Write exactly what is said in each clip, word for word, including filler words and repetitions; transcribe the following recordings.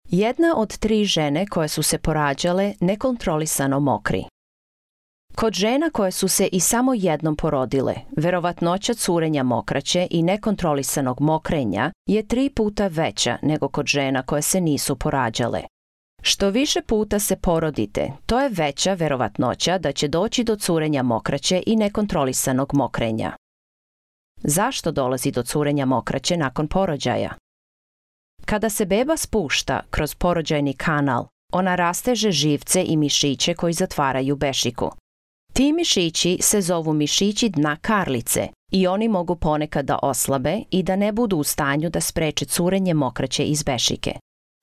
Jedna od tri žene koje su se porađale nekontrolisano mokri. Kod žena koje su se i samo jednom porodile, verovatnoća curenja mokraće i nekontrolisanog mokrenja je tri puta veća nego kod žena koje se nisu porađale. Što više puta se porodite, to je veća verovatnoća da će doći do curenja mokraće i nekontrolisanog mokrenja. Zašto dolazi do curenja mokraće nakon porođaja? Kada se beba spušta kroz porođajni kanal, ona rasteže živce i mišiće koji zatvaraju bešiku. Ti mišići se zovu mišići dna karlice i oni mogu ponekad da oslabe i da ne budu u stanju da spreče curenje mokraće iz bešike.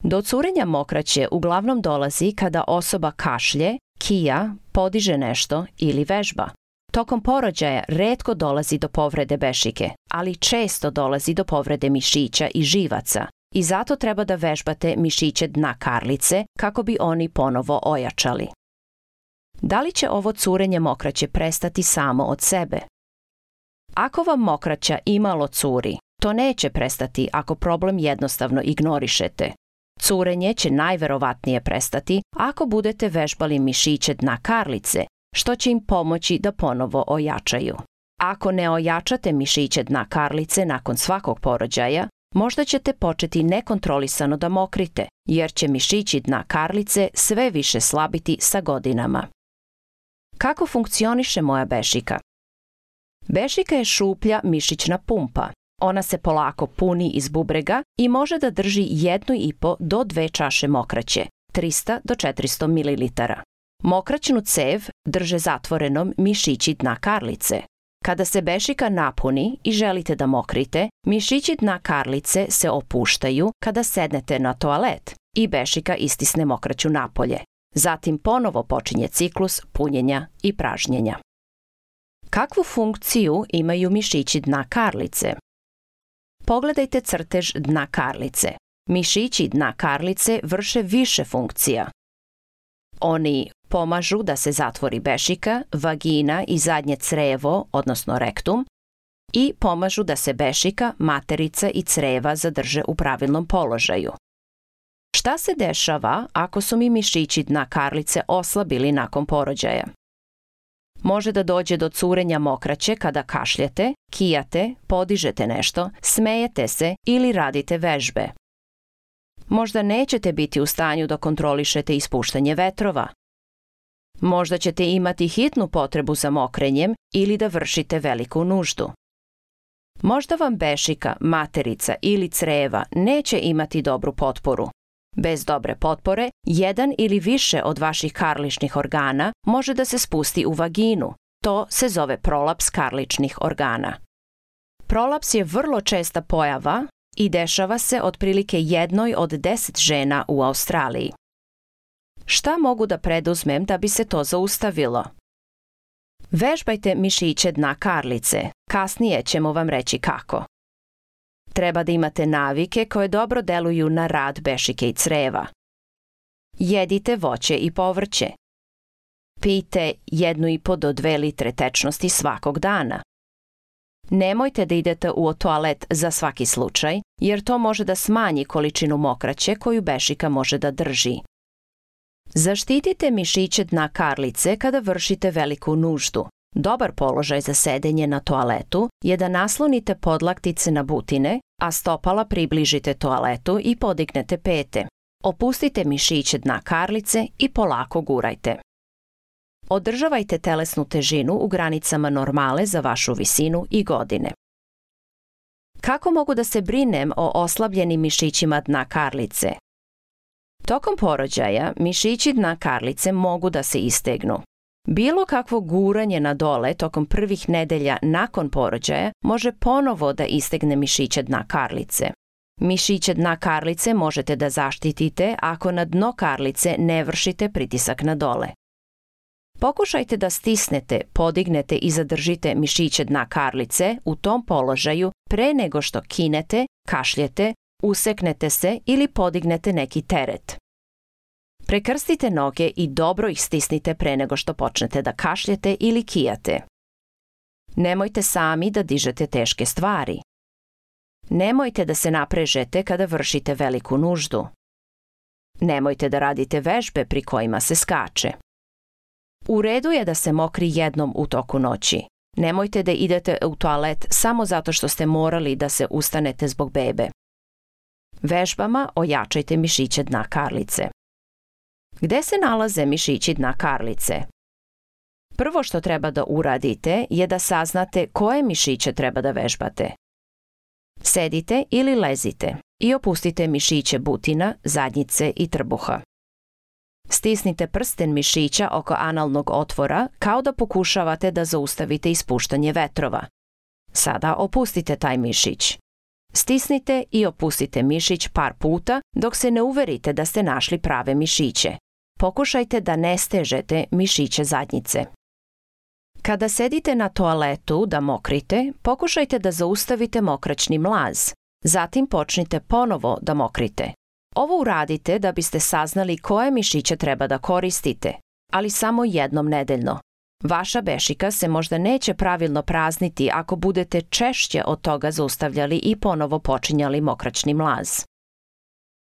Do curenja mokraće uglavnom dolazi kada osoba kašlje, kija, podiže nešto ili vežba. Tokom porođaja retko dolazi do povrede bešike, ali često dolazi do povrede mišića i živaca i zato treba da vežbate mišiće dna karlice kako bi oni ponovo ojačali. Da li će ovo curenje mokraće prestati samo od sebe? Ako vam mokraća imalo curi, to neće prestati ako problem jednostavno ignorišete. Curenje će najverovatnije prestati ako budete vežbali mišiće dna karlice, što će im pomoći da ponovo ojačaju. Ako ne ojačate mišiće dna karlice nakon svakog porođaja, možda ćete početi nekontrolisano da mokrite, jer će mišići dna karlice sve više slabiti sa godinama. Kako funkcioniše moja bešika? Bešika je šuplja mišićna pumpa. Ona se polako puni iz bubrega i može da drži jednu i po do dve čaše mokraće, trista do četiristo mililitara. Mokraćnu cev drže zatvorenom mišići dna karlice. Kada se bešika napuni i želite da mokrite, mišići dna karlice se opuštaju kada sednete na toalet i bešika istisne mokraću napolje. Zatim ponovo počinje ciklus punjenja i pražnjenja. Kakvu funkciju imaju mišići dna karlice? Pogledajte crtež dna karlice. Mišići dna karlice vrše više funkcija. Oni pomažu da se zatvori bešika, vagina i zadnje crevo, odnosno rektum, i pomažu da se bešika, materica i creva zadrže u pravilnom položaju. Šta se dešava ako su mi mišići dna karlice oslabili nakon porođaja? Može da dođe do curenja mokraće kada kašljete, kijate, podižete nešto, smejete se ili radite vežbe. Možda nećete biti u stanju da kontrolišete ispuštanje vetrova. Možda ćete imati hitnu potrebu za mokrenjem ili da vršite veliku nuždu. Možda vam bešika, materica ili creva neće imati dobru potporu. Bez dobre potpore, jedan ili više od vaših karličnih organa može da se spusti u vaginu. To se zove prolaps karličnih organa. Prolaps je vrlo česta pojava i dešava se otprilike jednoj od deset žena u Australiji. Šta mogu da preduzmem da bi se to zaustavilo? Vežbajte mišiće dna karlice. Kasnije ćemo vam reći kako. Treba da imate navike koje dobro deluju na rad bešike i creva. Jedite voće i povrće. Pijte jednu i po do dve litre tečnosti svakog dana. Nemojte da idete u toalet za svaki slučaj, jer to može da smanji količinu mokraće koju bešika može da drži. Zaštitite mišiće dna karlice kada vršite veliku nuždu. Dobar položaj za sedenje na toaletu je da naslonite podlaktice na butine, a stopala približite toaletu i podignete pete. Opustite mišiće dna karlice i polako gurajte. Održavajte telesnu težinu u granicama normale za vašu visinu i godine. Kako mogu da se brinem o oslabljenim mišićima dna karlice? Tokom porođaja mišići dna karlice mogu da se istegnu. Bilo kakvo guranje na dole tokom prvih nedelja nakon porođaja može ponovo da istegne mišiće dna karlice. Mišiće dna karlice možete da zaštitite ako na dno karlice ne vršite pritisak na dole. Pokušajte da stisnete, podignete i zadržite mišiće dna karlice u tom položaju pre nego što kinete, kašljete, useknete se ili podignete neki teret. Prekrstite noge i dobro ih stisnite pre nego što počnete da kašljete ili kijate. Nemojte sami da dižete teške stvari. Nemojte da se naprežete kada vršite veliku nuždu. Nemojte da radite vežbe pri kojima se skače. U redu je da se mokri jednom u toku noći. Nemojte da idete u toalet samo zato što ste morali da se ustanete zbog bebe. Vežbama ojačajte mišiće dna karlice. Gde se nalaze mišići dna karlice? Prvo što treba da uradite je da saznate koje mišiće treba da vežbate. Sedite ili lezite i opustite mišiće butina, zadnjice i trbuha. Stisnite prsten mišića oko analnog otvora kao da pokušavate da zaustavite ispuštanje vetrova. Sada opustite taj mišić. Stisnite i opustite mišić par puta dok se ne uverite da ste našli prave mišiće. Pokušajte da ne stežete mišiće zadnjice. Kada sedite na toaletu da mokrite, pokušajte da zaustavite mokraćni mlaz. Zatim počnite ponovo da mokrite. Ovo uradite da biste saznali koje mišiće treba da koristite, ali samo jednom nedeljno. Vaša bešika se možda neće pravilno prazniti ako budete češće od toga zaustavljali i ponovo počinjali mokraćni mlaz.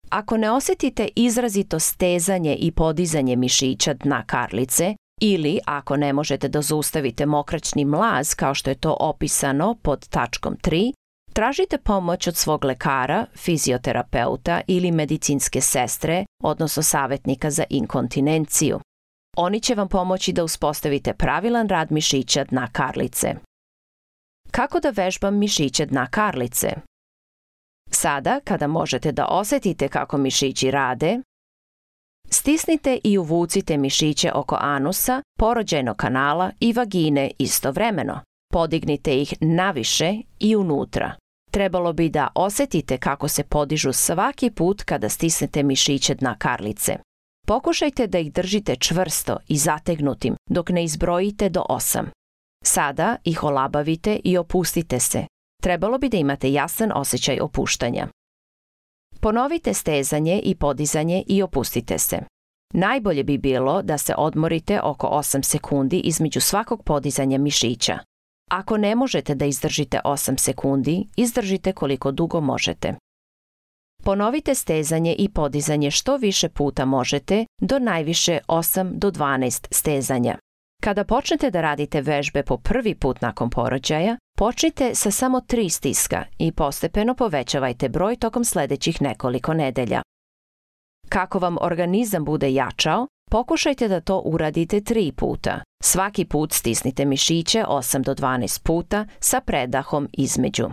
Ako ne osjetite izrazito stezanje i podizanje mišića dna karlice, ili ako ne možete da zaustavite mokraćni mlaz kao što je to opisano pod tačkom tri, tražite pomoć od svog lekara, fizioterapeuta ili medicinske sestre, odnosno savjetnika za inkontinenciju. Oni će vam pomoći da uspostavite pravilan rad mišića dna karlice. Kako da vežbam mišiće dna karlice? Sada, kada možete da osjetite kako mišići rade, stisnite i uvucite mišiće oko anusa, porođajnog kanala i vagine istovremeno. Podignite ih naviše i unutra. Trebalo bi da osjetite kako se podižu svaki put kada stisnete mišiće dna karlice. Pokušajte da ih držite čvrsto i zategnutim dok ne izbrojite do osam. Sada ih olabavite i opustite se. Trebalo bi da imate jasan osjećaj opuštanja. Ponovite stezanje i podizanje i opustite se. Najbolje bi bilo da se odmorite oko osam sekundi između svakog podizanja mišića. Ako ne možete da izdržite osam sekundi, izdržite koliko dugo možete. Ponovite stezanje i podizanje što više puta možete, do najviše osam do dvanaest stezanja. Kada počnete da radite vežbe po prvi put nakon porođaja, počnite sa samo tri stiska i postepeno povećavajte broj tokom sledećih nekoliko nedelja. Kako vam organizam bude jačao, pokušajte da to uradite tri puta. Svaki put stisnite mišiće osam do dvanaest puta sa predahom između.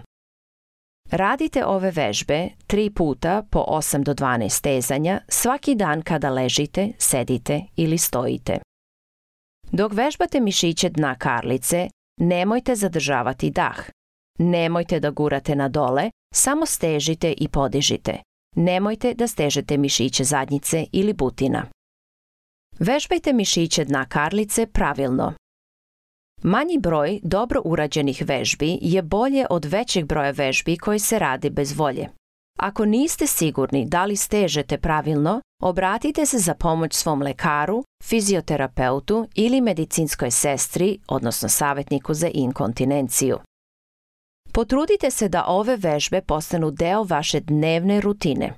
Radite ove vežbe tri puta po osam do dvanaest stezanja svaki dan kada ležite, sedite ili stojite. Dok vežbate mišiće dna karlice, nemojte zadržavati dah. Nemojte da gurate na dole, samo stežite i podižite. Nemojte da stežete mišiće zadnjice ili butina. Vežbajte mišiće dna karlice pravilno. Manji broj dobro urađenih vežbi je bolje od većeg broja vežbi koji se radi bez volje. Ako niste sigurni da li stežete pravilno, obratite se za pomoć svom lekaru, fizioterapeutu ili medicinskoj sestri, odnosno savjetniku za inkontinenciju. Potrudite se da ove vežbe postanu deo vaše dnevne rutine.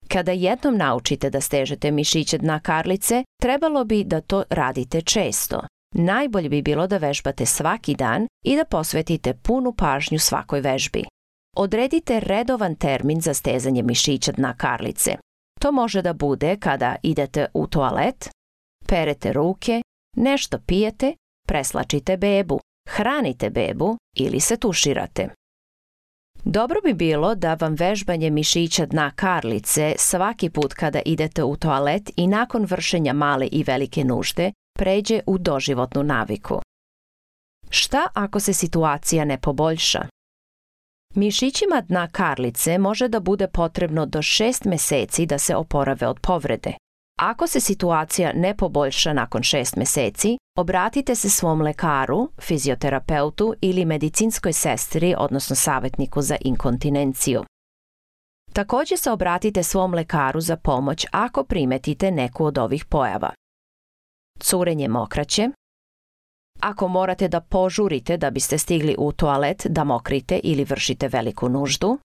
Kada jednom naučite da stežete mišiće dna karlice, trebalo bi da to radite često. Najbolje bi bilo da vežbate svaki dan i da posvetite punu pažnju svakoj vežbi. Odredite redovan termin za stezanje mišića dna karlice. To može da bude kada idete u toalet, perete ruke, nešto pijete, preslačite bebu, hranite bebu ili se tuširate. Dobro bi bilo da vam vežbanje mišića dna karlice svaki put kada idete u toalet i nakon vršenja male i velike nužde pređe u doživotnu naviku. Šta ako se situacija ne poboljša? Mišićima dna karlice može da bude potrebno do šest meseci da se oporave od povrede. Ako se situacija ne poboljša nakon šest meseci, obratite se svom lekaru, fizioterapeutu ili medicinskoj sestri, odnosno savjetniku za inkontinenciju. Također se obratite svom lekaru za pomoć ako primetite neku od ovih pojava. Curenje mokraće. Ako morate da požurite da biste stigli u toalet da mokrite ili vršite veliku nuždu.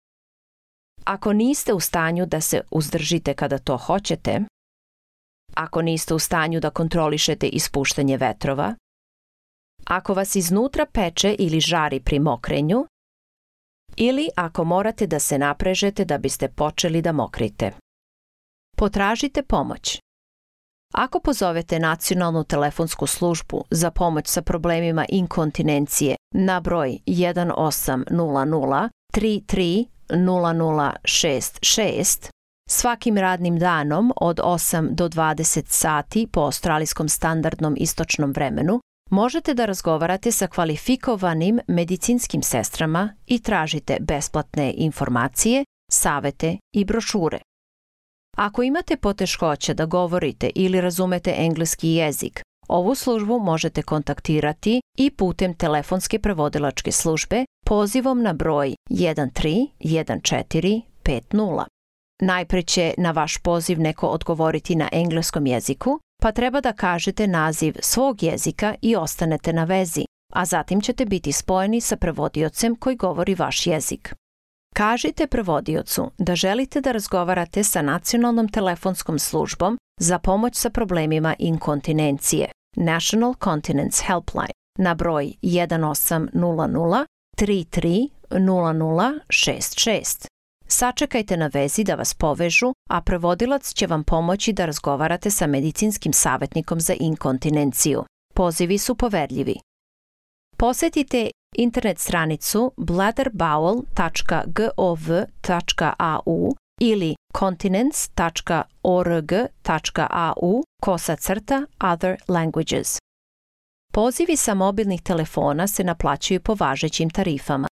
Ako niste u stanju da se uzdržite kada to hoćete, ako niste u stanju da kontrolišete ispuštanje vetrova, ako vas iznutra peče ili žari pri mokrenju, ili ako morate da se naprežete da biste počeli da mokrite. Potražite pomoć. Ako pozovete nacionalnu telefonsku službu za pomoć sa problemima inkontinencije na broj jedan osam nula nula tri tri nula nula šest šest, svakim radnim danom od osam do dvadeset sati po australijskom standardnom istočnom vremenu, možete da razgovarate sa kvalifikovanim medicinskim sestrama i tražite besplatne informacije, savete i brošure. Ako imate poteškoća da govorite ili razumete engleski jezik, ovu službu možete kontaktirati i putem telefonske prevodilačke službe pozivom na broj jedan tri jedan četiri pet nula. Najpre će na vaš poziv neko odgovoriti na engleskom jeziku, pa treba da kažete naziv svog jezika i ostanete na vezi, a zatim ćete biti spojeni sa prevodiocem koji govori vaš jezik. Kažite prevodiocu da želite da razgovarate sa nacionalnom telefonskom službom za pomoć sa problemima inkontinencije, National Continence Helpline, na broj jedan osam nula nula tri tri nula nula šest šest. Sačekajte na vezi da vas povežu, a prevodilac će vam pomoći da razgovarate sa medicinskim savjetnikom za inkontinenciju. Pozivi su poverljivi. Posetite internet stranicu bladderbowel tačka gov tačka au ili continence tačka org tačka au kosa crta other languages. Pozivi sa mobilnih telefona se naplaćuju po važećim tarifama.